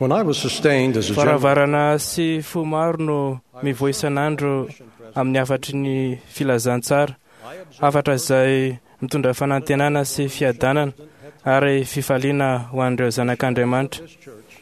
When I was sustained as a general Varavarana sy fo maro no mivoy isan'andro amin'ny hafatry ny filazantsara, hafatra izay mitondra fanantenana sy fiadanana ary fifaliana ho an'ireo zanak'Andriamanitra. this church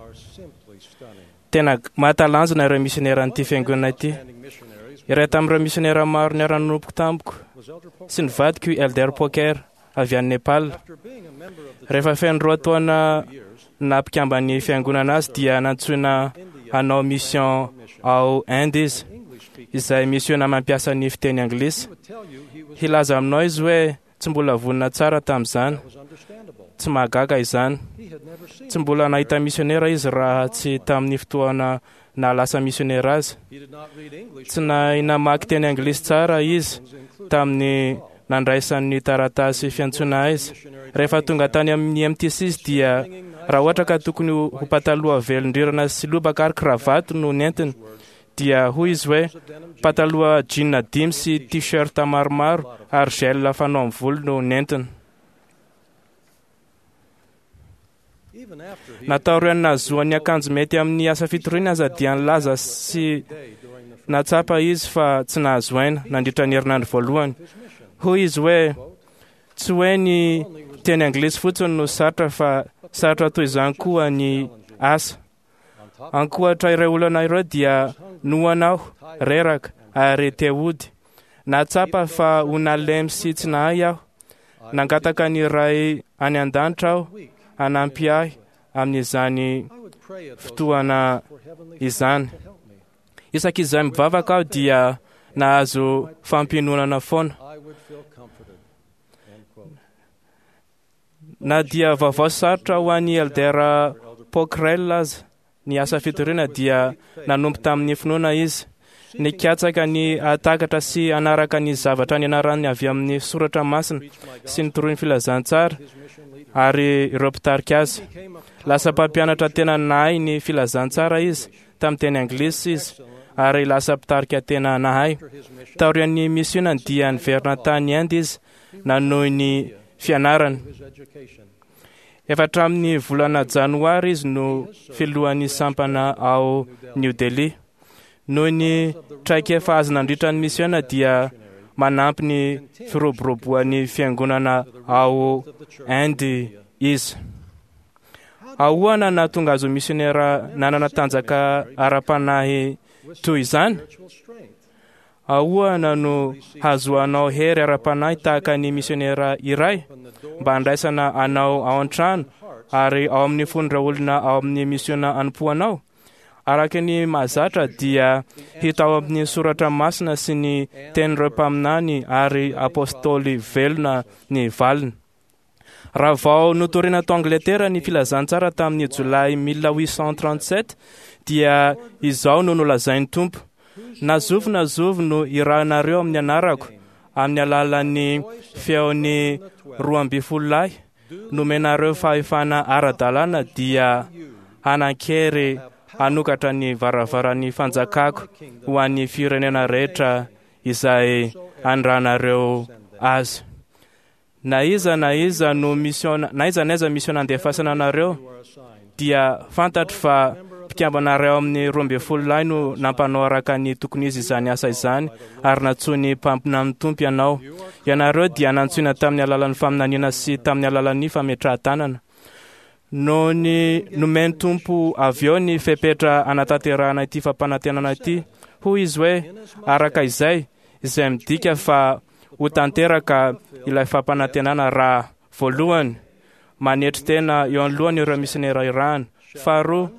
are simply stunning. Tena mahatalanjona ireo misioneran'ity fiangonana ity. Outstanding missionaries Iray tamin'ireo misionera maro niara-nanompo tamiko was Elder Pope. sy ny vadiko i Elder Poker avy any Nepal. After being a member of the Rehefa feno 2 taona years, nampikamban'ny fiangonana azy dia nantsoina hanao mission ao Inde izy, English speaking, izay misiona mampiasa ny fiteny anglisy. he would tell you he was, Hilaza aminao izy hoe tsy mbola vonona tsara tamin'izany, was understandable. tsy mahagaga izany. He had never seen Tsy mbola nahita misionera izy raha tsy tamin'ny fotoana nahalasa misionera azy. He did not read English, Tsy nahay namaky teny anglisy tsara izy including tamin'ny nandraisan'ny taratasy fiantsoana azy. Rehefa tonga tany amin'ny MTC izy dia raha ohatra ka tokony ho pataloha velondrirana sy lobaka ary kravato no nentiny dia hoy izy hoe pataloha jean 5 sy t-shirt maromaro ary gel fanao amin'ny volo no nentiny. even after he Nataorian'ny nahazoany akanjo mety amin'ny asa fitoriana aza dia nilaza sy day during the natsapa izy fa tsy nahazo aina nandritra ny herinandro voalohany. his mission. Hoy izy hoe tsy hoe ny teny anglisy fotsiny no sarotra fa sarotra toy izany koa ny asa. On top Ankoatra ireo olana ireo dia noana aho, reraka ary te hody. Nahatsapa fa ho nalemy sy tsy nahay aho. Nangataka ny Ray any an-danitra aho week, hanampy ahy amin'izany I would pray at those fotoana for Heavenly izany. Father to help me. Isaky izay mivavaka aho dia nahazo fampiononana foana. I would feel comforted. End quote. Na dia vaovao sarotra ho an'ny Elder Pockrell aza ny asa fitoriana dia nanompo tamin'ny finoana izy. Nikatsaka ny hahatakatra sy hanaraka ny zavatra nianarany avy amin'ny soratra masina sy ny toroin'ny filazantsara His mission leader ary ireo mpitarika azy. became a Lasa mpampianatra tena nahay ny filazantsara izy tamin'ny teny anglisy izy ary lasa mpitarika tena nahay. after his mission Taorian'ny misionany dia niverina tany Inde izy nanohy ny fianarany. his education. Efa hatramin'ny volana janoary izy no filohan'ny sampana ao New Delhi. Noho ny traikefa azo nandritra ny misiona dia manampy ny firoboroboan'ny fiangonana ao Of the church. Inde izy. Ahoana nahatonga azy ho misionera nanana tanjaka ara-panahy toy izany? Spiritual strength. Ahoana no hazoanao hery ara-panahy tahaka ny misionera iray Open the door mba handraisana anao ao an-trano hearts ary ao amin'ny fon'ireo olona ao amin'ny misiona anompoanao? Araka ny mahazatra dia hita ao amin'ny soratra masina sy ny tenin'ireo mpaminany ary apôstôly velona ny valiny. Raha vao notorina tao Angletera ny filazantsara tamin'ny jolay 1837 dia izao no nolazain'ny Tompo: na zovy na zovy no irahanareo amin'ny anarako amin'ny alalan'ny feon'ny 12 lahy nomenareo fahefana ara-dalàna dia hanan-kery hanokatra ny varavaran'ny fanjakako ho an'ny firenena rehetra izay andranareo azy. Na iza na iza no misiona, na iza na iza misiona andefasana anareo you are assigned. dia fantatro fa mpikambana iray ao amin'ny 12 lahy no nampanao araka ny tokony izy izany asa izany ary nantsoin'ny mpaminan'ny Tompo ianao. Ianareo dia nantsoina tamin'ny alalan'ny faminaniana sy tamin'ny alalan'ny fametrahan-tanana. Noho ny nomen'ny Tompo avy eo ny fepetra anatanterahana ity fampanantenana ity, hoy izy hoe araka izay, izay midika fa ho tanteraka ilay fampanantenana raha voalohany manetry tena eo anoloany ireo misionera irahana, faharoa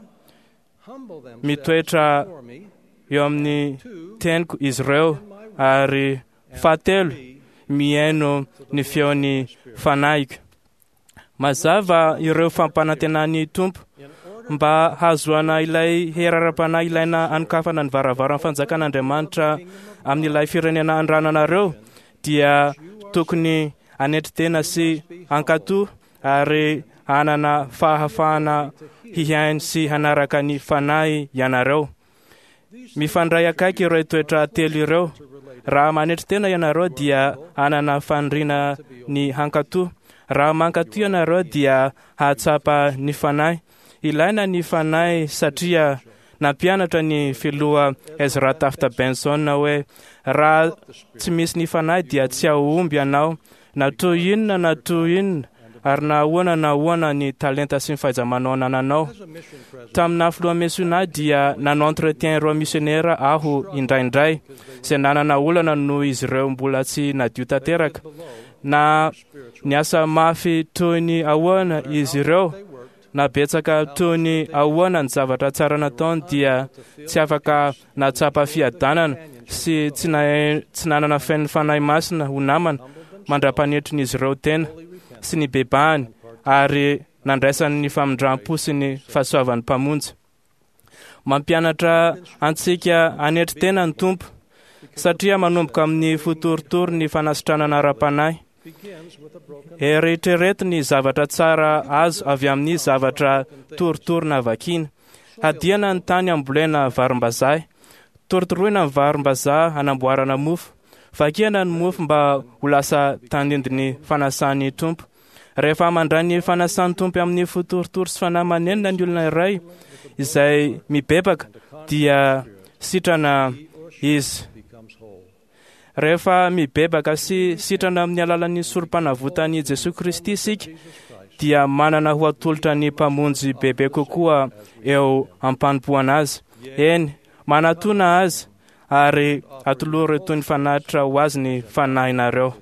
Humble themselves mitoetra before me. eo amin'ny Two, teniko izy ireo ary fahatelo mihaino ny feon'ny fanahiko. Mazava ireo fampanantenan'ny Tompo in order mba hahazoana ilay hery ara-panahy ilaina hanokafana ny varavaran'ny fanjakan'Andriamanitra amin'ilay firenena andrananareo dia tokony hanetry tena sy hankatò ary hanana fahafahana hihaino sy hanaraka ny fanahy ianareo. Mifandray akaiky ireo toetra telo ireo. Raha manetry tena ianareo dia hanana faniriana ny hankatò. Raha mankatò ianareo dia hahatsapa ny fanahy. Ilaina ny Fanahy satria nampianatra ny filoha Ezra Taft Benson hoe raha tsy misy ny Fanahy dia tsy hahomby ianao na toy inona na toy inona ary na ahoana na ahoana ny talenta sy ny fahaiza-manao anananao. As a mission president, Tamin'ny filoha misiona dia nanao entretien ireo missionnaire aho indraindray izay nanana olana noho izy ireo mbola tsy nadio tanteraka. below Na spiritual niasa mafy toy ny ahoana izy ireo, they worked na betsaka toy ny ahoana ny zavatra tsara nataony dia tsy afaka nahatsapa fiadanana sy tsy nahe- tsy nanana fen'ny Fanahy Masina ho namana mandra-panetrin'izy ireo tena sy ny bebahany ary nandraisany ny famindram-po sy ny fahasoavan'ny Mpamonjy. Mampianatra antsika hanetry tena ny Tompo satria manomboka amin'ny fotorotoro ny fanasitranana ara-panahy. begins with a broken Eritrereto ny zavatra tsara azo avy amin'ny zavatra torotoro na vakiana. Hadiana ny tany ambolena varimbazaha. Torotoroina ny varimbazaha hanamboarana mofo. Vakiana ny mofo mba ho lasa tandindon'ny fanasan'ny Tompo. Rehefa mandray ny fanasan'ny Tompo amin'ny fo torotoro sy fanahy manenina ny olona iray izay mibebaka dia sitrana izy. becomes whole. Rehefa mibebaka sy sitrana amin'ny alalan'ny sorom-panavotan'i Jesoa Kristy isika dia manana ho atolotra ny Mpamonjy bebe kokoa eo am-panompoana azy. Eny, manatona azy ary atolory toy ny fanatitra ho azy ny fanahinareo.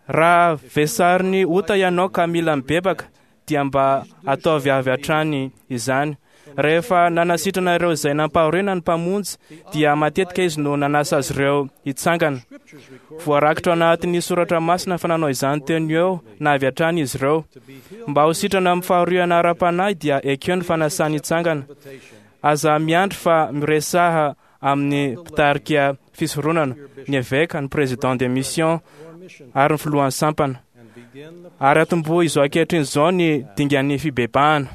Raha vesarin'ny ota ianao ka mila mibebaka dia mba ataovy avy hatrany izany. Rehefa nanasitrana ireo izay nampahoriana ny Mpamonjy dia matetika izy no nanasa azy ireo hitsangana. Scriptures record Voarakitra ao anatin'ny soratra masina fa nanao izany teo no eo na avy hatrany izy ireo. to be healed Mba ho sitrana amin'ny fahoriana ara-panahy dia ekeo ny fanasany hitsangana. invitation Aza miandry fa miresaha amin'ny mpitarika fisoronana, ny eveka, ny président de mission or mission ary ny filohan'ny sampana. and begin the Ary atombohy izao ankehitriny izao ny dingan'ny fibebahana.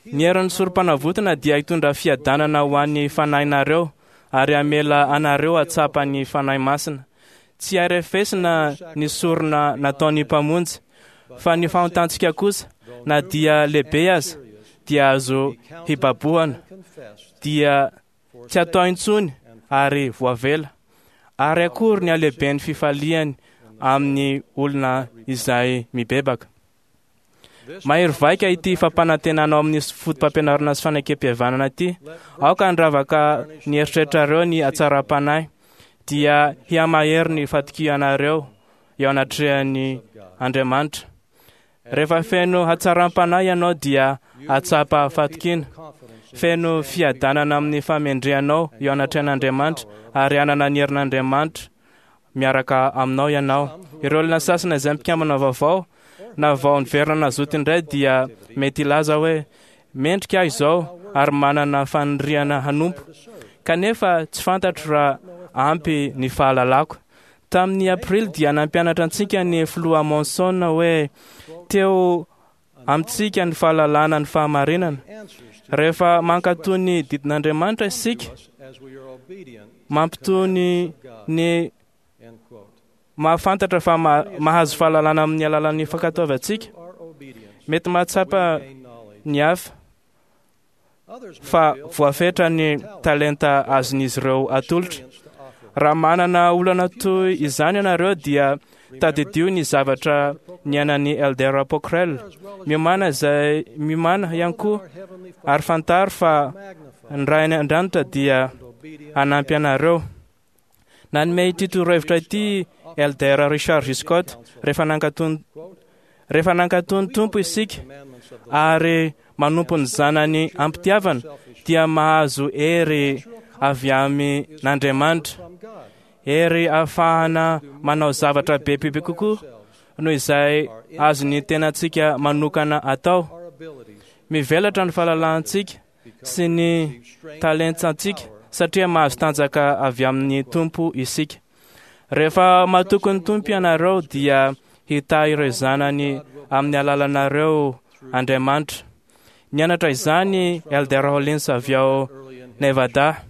Ny herin'ny sorom-panavotana dia hitondra fiadanana ho an'ny fanahinareo ary hamela anareo hatsapa ny Fanahy Masina. Tsy arefesina ny sorona nataon'ny Mpamonjy, fa ny fahotantsika kosa, na dia lehibe aza, dia azo hibabohana, confessed dia tsy atao intsony ary voavela. Ary akory ny halehiben'ny fifaliany amin'ny olona izay mibebaka. Mahery vaika ity fampanantenana ao amin'ny foto-pampianarana sy fanekempihavanana ity. Aoka handravaka ny eritreritrareo ny hatsaram-panahy, dia hihamahery ny fatokianareo eo anatrehan'ny Andriamanitra. Rehefa feno hatsaram-panahy ianao dia hatsapa fatokiana, confidence feno fiadanana amin'ny famendrehanao eo anatrehan'Andriamanitra ary hanana ny herin'Andriamanitra miaraka aminao ianao. Ireo olona sasany izay mpikambana vaovao na vao niverina nazoto indray dia mety hilaza hoe mendrika aho izao ary manana faniriana hanompo kanefa tsy fantatro raha ampy ny fahalalako. Tamin'ny aprily dia nampianatra antsika ny filoha Monson hoe teo amintsika ny fahalalana ny fahamarinana. answers to Rehefa mankatò ny didin'Andriamanitra isika, us as we are obedient mampitony ny end quote. mahafantatra fa mahazo fahalalana amin'ny alalan'ny fankatoavantsika. Our obedience Mety mahatsapa we gain knowledge. ny hafa Others may fa feel voafetra ny talenta azon'izy ireo atolotra. experience to offer. Raha manana olana toy izany ianareo dia tadidio ny zavatra niainan'ny Elder Pockrell. Miomàna izay miomàna ihany koa Our heavenly Father ary fantaro fa magnify ny Ray any an-danitra dia and obedient hanampy anareo. Nanome ity torohevitra ity Elder Richard G. Scott rehefa nankatò quote rehefa nankatò ny Tompo isika commandments of the ary manompo ny zanany am-pitiavana dia mahazo hery avy amin'Andriamanitra, from God hery ahafahana manao zavatra bebe kokoa noho izay azon'ny tenantsika manokana atao. our abilities Mivelatra ny fahalalantsika sy ny talentsantsika satria mahazo tanjaka avy amin'ny Tompo isika. Rehefa matoky ny Tompo ianareo dia hitahy ireo zanany amin'ny alalanareo Andriamanitra. Nianatra izany Elder Hollins avy ao Nevada.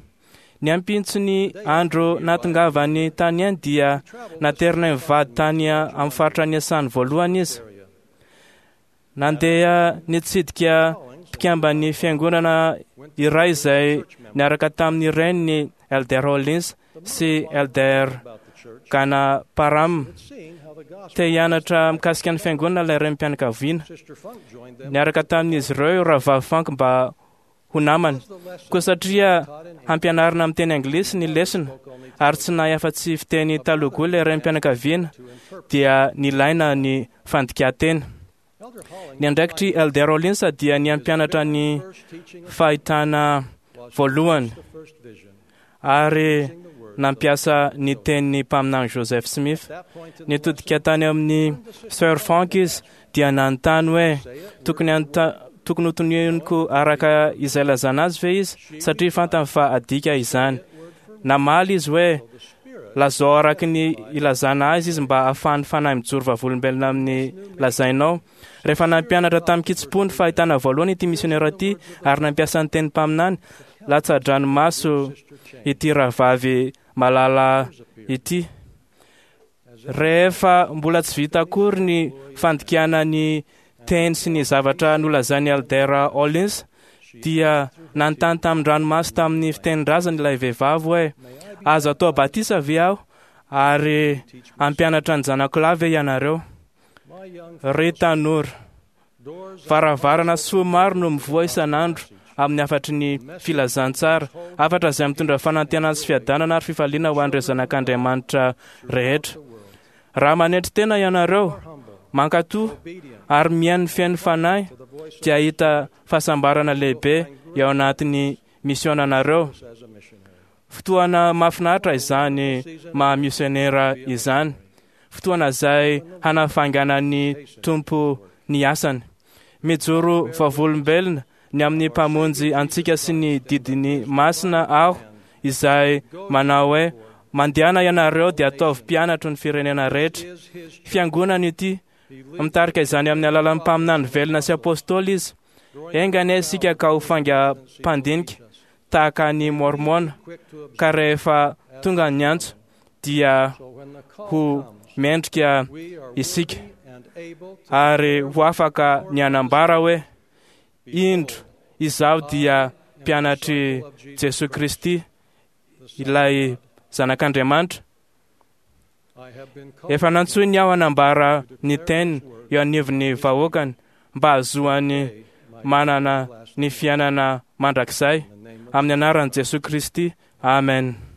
Ny ampitson'ny andro nahatongavany tany any dia naterina mivady tany amin'ny faritra niasany voalohany izy. area. Nandeha nitsidika mpikamban'ny fiangonana iray izay niaraka tamin'ny reniny Elder Hollins sy Elder Ganaparam. Te hianatra mikasika ny fiangonana ilay renim-pianakaviana. Niaraka tamin'izy ireo Rahavavy Funk mba ho namany. Koa satria hampianarina amin'ny teny anglisy ny lesona ary tsy nahay afa-tsy fiteny Telugu ilay renim-pianakaviana dia nilaina ny fandikan-teny. Ny andraikitr'i Elder Hollins dia ny hampianatra ny fahitana voalohany ary nampiasa ny tenin'ny mpaminany Joseph Smith. Nitodika tany amin'ny Sir Funk izy dia nanontany hoe tokony tokony hotononiko araka izay lazana azy ve izy satria fantany fa adika izany. Namaly izy hoe lazao araka ny ilazana azy izy mba ahafahan'ny fanahy mijoro vavolombelona amin'ny lazainao. Rehefa nampianatra tamin-kitsim-po ny fahitana voalohany ity misionera ity ary nampiasa ny teny mpaminany, latsa-dranomaso ity rahavavy malala ity. Rehefa mbola tsy vita akory ny fandikana ny teny sy ny zavatra nolazain'i Elder Hollins dia nanontany tamin-dranomaso tamin'ny fitenin-drazany ilay vehivavy hoe azo atao batisa ve aho ary hampianatra ny zanako lahy ve ianareo? Ry tanora, varavarana soa maro no mivoha isan'andro amin'ny hafatry ny filazantsara, hafatra izay mitondra fanantenana sy fiadanana ary fifaliana ho an'ireo zanak'Andriamanitra rehetra. Raha manetry tena ianareo, mankatò ary mihaino ny feon'ny fanahy dia hahita fahasambarana lehibe eo anatin'ny misionanareo. Fotoana mahafinaritra izany maha misionera izany. Fotoana izay hanafainganan'ny Tompo ny asany. Mijoro vavolombelona ny amin'ny Mpamonjy antsika sy ny didiny masina aho izay manao hoe mandehana ianareo dia ataovy mpianatro ny firenena rehetra. Fiangonana ity, mitarika izany amin'ny alalan'ny mpaminany velona sy apôstôly izy. Enga anie isika ka ho faingam-pandinika tahaka ny Mormona ka rehefa tonga ny antso dia ho mendrika isika ary ho afaka ny hanambara hoe indro izaho dia mpianatr'i Jesoa Kristy ilay zanak'Andriamanitra. Efa nantsoiny aho hanambara ny teniny eo anivon'ny vahoakany mba hahazoany manana ny fiainana mandrakizay amin'ny anaran'i Jesoa Kristy. Amen.